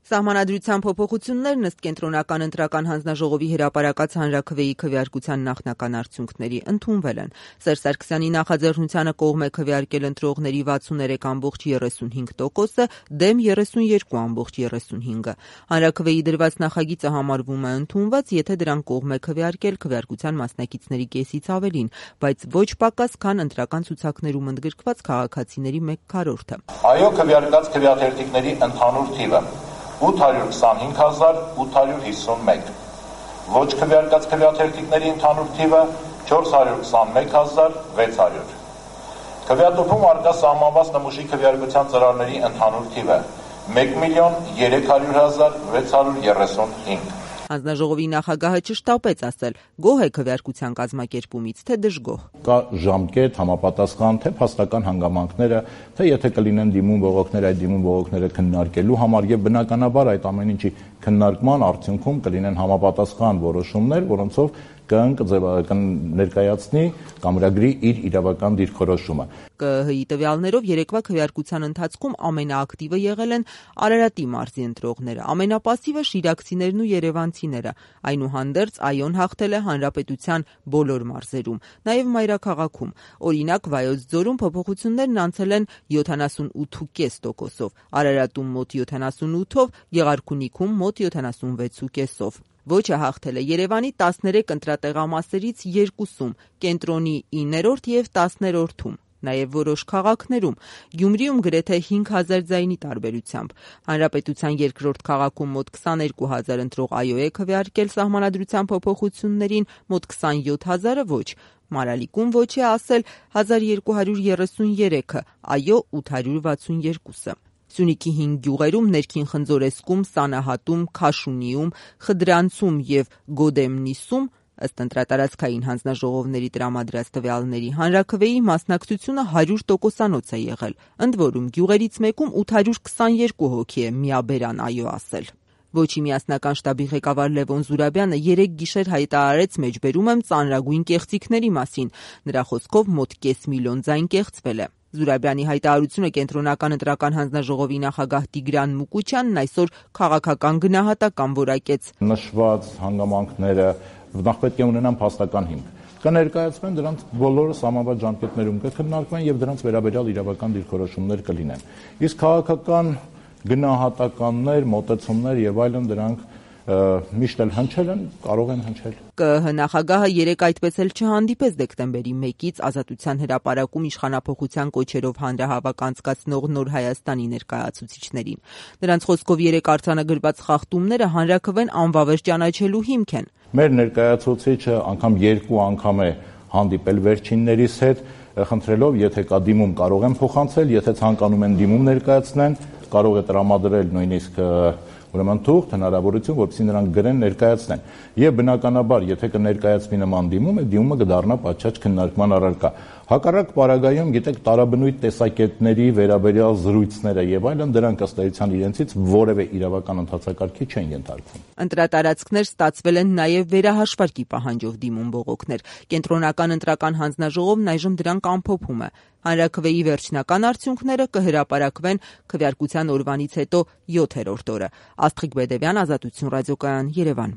Սահմանադրության փոփոխություններն ըստ Կենտրոնական ընտրական հանձնաժողովի հրապարակած հանրաքվեի քվեարկության նախնական արդյունքների ընդունվել են։ Սերժ Սարգսյանի նախաձեռնությանը կողմ է քվեարկել ընտրողների 63.35%-ը, դեմ 32.35%-ը։ Հանրաքվեի դրված նախագիծը համարվում է ընդունված, եթե դրան կողմ է քվեարկել քվեարկության մասնակիցների կեսից ավելին, բայց ոչ պակաս, քան ընտրական ցուցակներում ընդգրկված քաղաքացիների 1/4-ը։ Այո քվեարկած քվեաթերթիկների ընդհանուր թիվը 825.851, ոչ քվեարկած քվեաթերթիկների ընդհանուր թիվը 421.600, քվեատուփում առկա սահմանված նմուշի քվեարկության ծրարների ընդհանուր թիվը 1.300.635։ Հանձնաժողովի նախագահը չշտապեց ասել՝ գոհ է քվեարկության կազմակերպումից, թե դժգոհ։ Կա ժամկետ, համապատասխան, թե փաստական հանգամանքները, թե եթե կլինեն դիմում բողոքներ, այդ դիմում բողոքները քննարկելու համար եւ բնականաբար այդ ամեն ինչի քննարկման արդյունքում կլինեն համապատասխան որոշումներ, որոնցով կներկայացնի կամրագրի իր իրավական դիրքորոշումը։ ԿԸՀ-ի տվյալներով երեկվա քվեարկության ընթացքում ամենաակտիվը եղել են Արարատի մարզի ընտրողները, ամենապասիվը շիրակցիներն ու երևանցիները։ Այնուհանդերձ ԱՅՈ-ն հաղթել է հանրապետության բոլոր մարզերում, նաև մայրաքաղաքում։ Օրինակ Վայոց ձորում փոփոխություններն անցել են 78.5%-ով, Արարատում մոտ 78-ով, Գեղարքունիքում մոտ 76.5%-ով։ Ոչը հաղթել է Երևանի 13 ընտրատեղամասերից 2-ում, Կենտրոնի 9-րդ և 10-րդում, նաև որոշ քաղաքներում, Գյումրիում գրեթե 5000 ձայնի տարբերությամբ։ Հանրապետության երկրորդ քաղաքում մոտ 22 000 ընտրող ԱՅՈ է քվեարկել սահմանադրության փոփոխություններին, մոտ 27 000-ը ոչ։ Մարալիկում ոչ է ասել 1233-ը, ԱՅՈ 862-ը։ Սյունիքի 5 գյուղերում ներքին Խնձորեսկում, Սանահատում, Քաշունիում, Խդրանցում և Գոդեմնիսում ըստ ընտրատարածքային հանձնաժողովների տրամադրած տվյալների հանրաքվեի մասնակցությունը 100%-անոց է եղել, ընդ որում գյուղերից մեկում 822 հոգի է միաբերան ԱՅՈ ասել։ Ոչի միասնական շտաբի ղեկավար Լևոն Զուրաբյանը 3 գիշեր հայտարարեց մեջբերում եմ ծանրագույն կեղծիքների մասին։ Նրա խոսքով մոտ կես միլիոն ձայն կեղծվել է։ Զուրաբյանի հայտարարությունը Կենտրոնական ընտրական հանձնաժողովի նախագահ Տիգրան Մուկուչյանն այսօր քաղաքական գնահատական որակեց։ Նշված հանգամանքները նախ պետք է ունենան փաստական հիմք։ Կներկայացվեն դրանց բոլորը սահմանված ժամկետներում կքննարկվեն եւ դրանց վերաբերյալ իրավական դիրքորոշումներ կլինեն։ Իսկ քաղաքական գնահատականներ, մոտեցումներ եւ այլն դրանք միշտ էլ հնչել են, կարող են հնչել։ ԿԸՀ նախագահը երեկ այդպես էլ չհանդիպեց դեկտեմբերի 1-ից Ազատության հրապարակում իշխանափոխության կոչերով հանրահավաք անցկացնող Նոր Հայաստանի ներկայացուցիչներին։ Նրանց խոսքով երեկ արձանագրված խախտումները հանրաքվեն անվավեր ճանաչելու հիմք են։ Մեր ներկայացուցիչը անգամ 2 անգամ է հանդիպել վերջիններիս հետ, խնդրելով, եթե կա դիմում կարող են փոխանցել, եթե ցանկանում են դիմում ներկայացնեն, կարող է տրամադրել նույնիսկ ուրեմն թուղթ, հնարավորություն, որպեսզի նրանք գրեն ներկայացնեն։ Եվ բնականաբար, եթե կներկայացվի նման դիմում, այդ դիմումը կդառնա պատշաճ քննարկման առարկա։ Հակառակ պարագայում, գիտեք, տարաբնույթ տեսակետների վերաբերյալ զրույցները եւ այլն դրանք ըստ էության իրենցից որևէ իրավական ընթացակարգի չեն ենթարկվում։ Ընտրատարածքներ ստացվել են նաև վերահաշվարկի պահանջով դիմում բողոքներ։ Կենտրոնական ընտրական հանձնաժողովն այժմ դրանք ամփոփում է։ Հանրաքվեի վերջնական արդյունքները կհրապարակվեն քվեարկության օրվանից հետո 7-րդ օրը։ Աստղիկ Բեդևյան, Ազատություն ռադիոկայան, Երևան։